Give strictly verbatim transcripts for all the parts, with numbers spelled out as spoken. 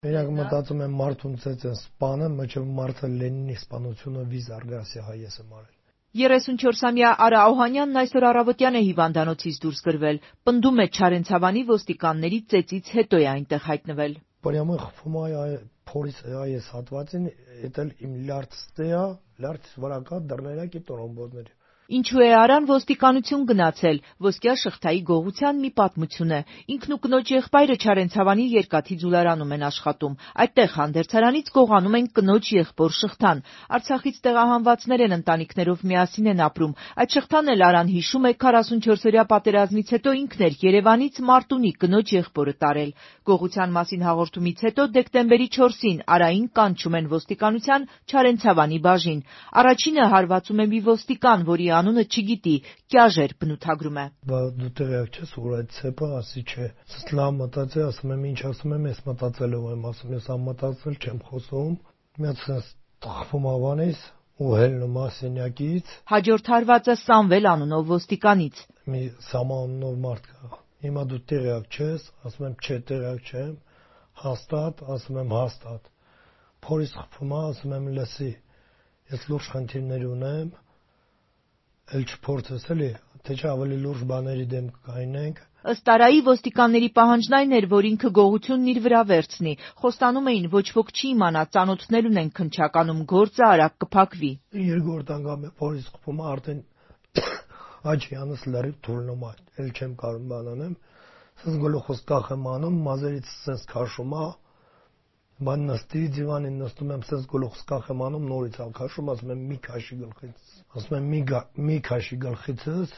Իրենք մտածում են մարդուն ծեծ են սպանը, մինչև մարդը Լենինի սպանությունը վիզ արգասի հայ ես եմ արել։ երեսունչորսամյա Արա Օհանյանն այսօր առավոտյան է հիվանդանոցից դուրս գրվել, պնդում է Չարենցավանի ոստիկանների ծեծից հետո է այնտեղ հայտնվել։ Прямо խփում է փորից այս հատվածին, դա իմ լարցտե է, լարց վրա կա դռներակի տրոմբոզներ։ Ինչու է Արան ոստիկանություն գնացել, ոսկյա շղթայի գողության մի պատմություն է։ Ինքն ու կնոջ եղբայրը Չարենցավանի երկաթի ձուլարանում են աշխատում։ Այդտեղ հանդերձարանից գողանում են կնոջ եղբոր շղթան։ Արցախից տեղահանվածներ են, ընտանիքներով միասին են ապրում։ Այդ շղթան էլ Արան հիշում է քառասունչորսօրյա պատերազմից հետո ինքն էր Երևանից Մարտունի կնոջ եղբորը տարել։ Գողության մասին հաղորդումից հետո դեկտեմբերի չորսին Արային կանչում են ոստիկանության Չարենցավանի բաժին։ Առաջինը հարվածում է մի ոստիկան, որի անունը չգիտի, Կյաժ էր, բնութագրում է։ Բա դու տեղյակ չես, որ այդ ցեպը ասի չէ։ Սլամ մտածել, ասում եմ, ինչ ասում եմ, ես մտածելով եմ, ասում ես ամտածել չեմ խոսում։ Մի հատ թխվում ավանից ու հելնում ասենյակից։ Հաջորդ հարվածը Սամվել անունով ոստիկանից։ Մի Սամանով մարդ կա։ Հիմա դու տեղյակ չես, ասում եմ, չէ, տեղյակ չեմ։ Հաստատ, ասում եմ, հաստատ։ Փորից խփում է, ասում եմ, լսի, ես լուրջ խնդիրներ ունեմ։ Էլ չփորձես էլի, թե չէ ավելի լուրջ բաների դեմ կգայնենք։ Ըստ Արայի ոստիկանների պահանջն այն էր, որ ինքը գողությունն իր վրա վերցնի։ Խոստանում էին, ոչ ոք չի իմանա, ծանոթներ ունեն քննչականում, գործը արագ կփակվի։ Երկրորդ անգամ է փորից խփում, արդեն աչյանս լրիվ թուլնում է, էլ չեմ կարող բան անեմ։ Սենց գլուխս կախ եմ անում, մազերից սենց քաշում է։ Բան նստի դիվանին նստում եմ, սենց գլուխս կախ եմ անում, նորից ալ քաշում, ասում եմ, մի քաշի գլխից։ Ասում եմ, մի մի քաշի գլխիցս։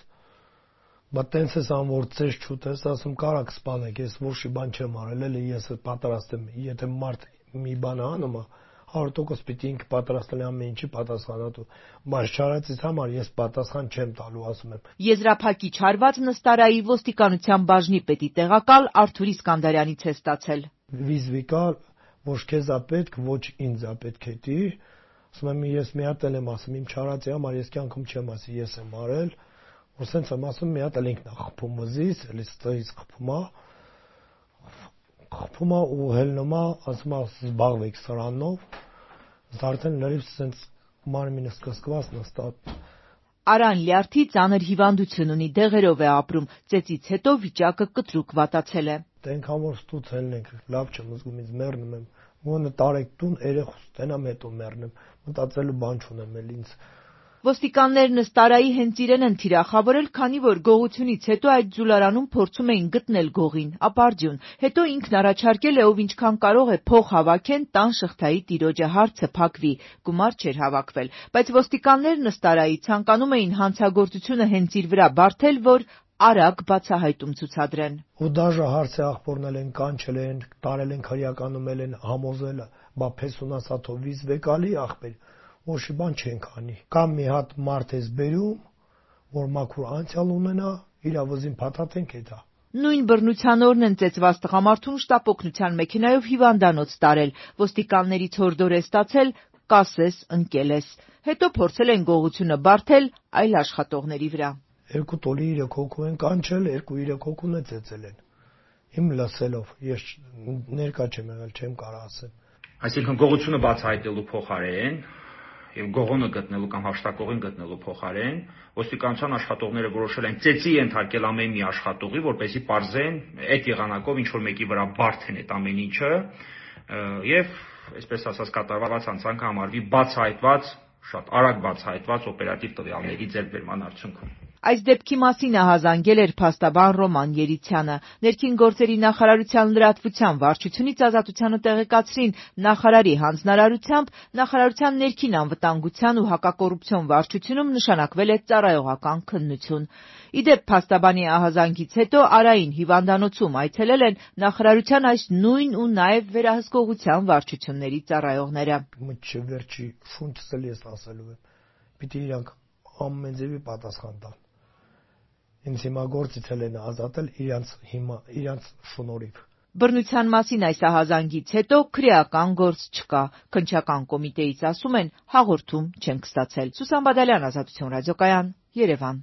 Բա տենց ես ան որ ծես չուտես, ասում կարակ սպանեք, ես ոչի բան չեմ արել, էլի ես պատրաստ եմ, եթե մարդ մի բան անում է, հարյուր տոկոս պիտի ինքը պատրաստել ամեն ինչի պատասխանատու։ Բայց չարածից համար ես պատասխան չեմ տալու, ասում եմ։ Եզրափակիչ հարվածն ըստ Արայի ոստիկանության բաժնի պետի տեղակալ Արթուր Իսկանդարյանից է ստացել։ Վիզվիկա ոչ քեզ է պետք, ոչ ինձ է պետք էտի։ Ասում եմ, ես մի հատ էլ եմ ասում, իմ չարածի համար ես կյանքում չեմ ասի, ես եմ արել, որ սենց եմ ասում, մի հատ էլ ինքն է խփում վզից, էլի ստից խփում է, խփում է ու հելնում է, ասում է, զբաղվեք սրանով, արդեն լրիվ սենց մարմինս կսկված նստած։ Արան լյարդի ծանր հիվանդություն ունի, դեղերով է ապրում, ծեծից հետո վիճակը կտրուկ վատացել է։ Այնքան որ ստուց հելնենք, լավ չեմ զգում, ինձ մեռնում եմ։ Ոնը տարեք տուն, երեխուս տենամ հետո մեռնեմ, մտածելու բան չունեմ էլ ինձ։ Ոստիկաններն ըստ Արայի հենց իրեն են թիրախավորել, քանի որ գողությունից հետո այդ ձուլարանում փորձում էին գտնել գողին, ապարդյուն։ Հետո ինքն առաջարկել է, ով ինչքան կարող է փող հավաքեն, տան շղթայի տիրոջը հարցը փակվի, գումար չէր հավաքվել։ Բայց ոստիկաններն ըստ Արայի ցանկանում էին հանցագործությունը հենց իր վրա բարթել, որ արագ բացահայտում ցուցադրեն։ Ու դաժե հարցը աղբորնել են, կանչել են, տարել են քրեականում են համոզել, բա փեսունասաթո վիզ վեկալի աղբեր, ոչի բան չենք անի։ Կամ մի հատ մարդ ես բերում, որ մաքուր անցյալ ունենա, իր վզին փաթաթենք էտա։ Նույն բռնության օրն են ծեծված տղամարդուն շտապ օգնության մեքենայով հիվանդանոց տարել։ Ոստիկաններից հորդոր է ստացել կասես ընկել ես։ Հետո փորձել են գողությունը բարթել այլ աշխատողների վրա։ Երկու տոլի երեք հոգու են կանչել, երկու երեք հոգուն է ծեծել են։ Իմ լսելով, ես ներկա չեմ եղել, չեմ կարող ասեմ։ Այսինքն գողությունը բացահայտելու փոխարեն եւ գողոնը գտնելու կամ հաշտակողին գտնելու փոխարեն ոստիկանության աշխատողները որոշել են ծեծի ենթարկել ամեն մի աշխատողի, որպեսզի պարզեն այդ եղանակով ինչ որ մեկի վրա բարթեն այդ ամեն ինչը եւ այսպես ասած կատարված հանցանքը համարվի բացահայտված, շատ արագ բացահայտված օպերատիվ տվյալների ձեռքբերման արդյունքում։ Այս դեպքի մասին ահազանգել էր փաստաբան Ռոման Երիցյանը։ Ներքին գործերի նախարարության լրատվության վարչությունից ազատությանը տեղեկացրին նախարարի հանձնարարությամբ նախարարության ներքին անվտանգության ու հակակոռուպցիոն վարչությունում նշանակվել է ծառայողական քննություն։ Իդեպ փաստաբանի ահազանգից հետո Արային հիվանդանոցում այցելել են նախարարության այս նույն ու նաև վերահսկողության վարչությունների ծառայողները։ Մինչև վերջի շունչս էլ ես ասելու եմ, պիտի իրանք ամեն ձևի պատասխան տան։ Ինձ հիմա գործից էլ են ազատել իրանց հիմա իրանց շնորհիվ։ Բռնության մասին այս ահազանգից հետո քրեական գործ չկա։ Քննչական կոմիտեից ասում են հաղորդում չենք ստացել։ Սուսան Բադալյան, Ազատություն ռադիոկայան, Երևան։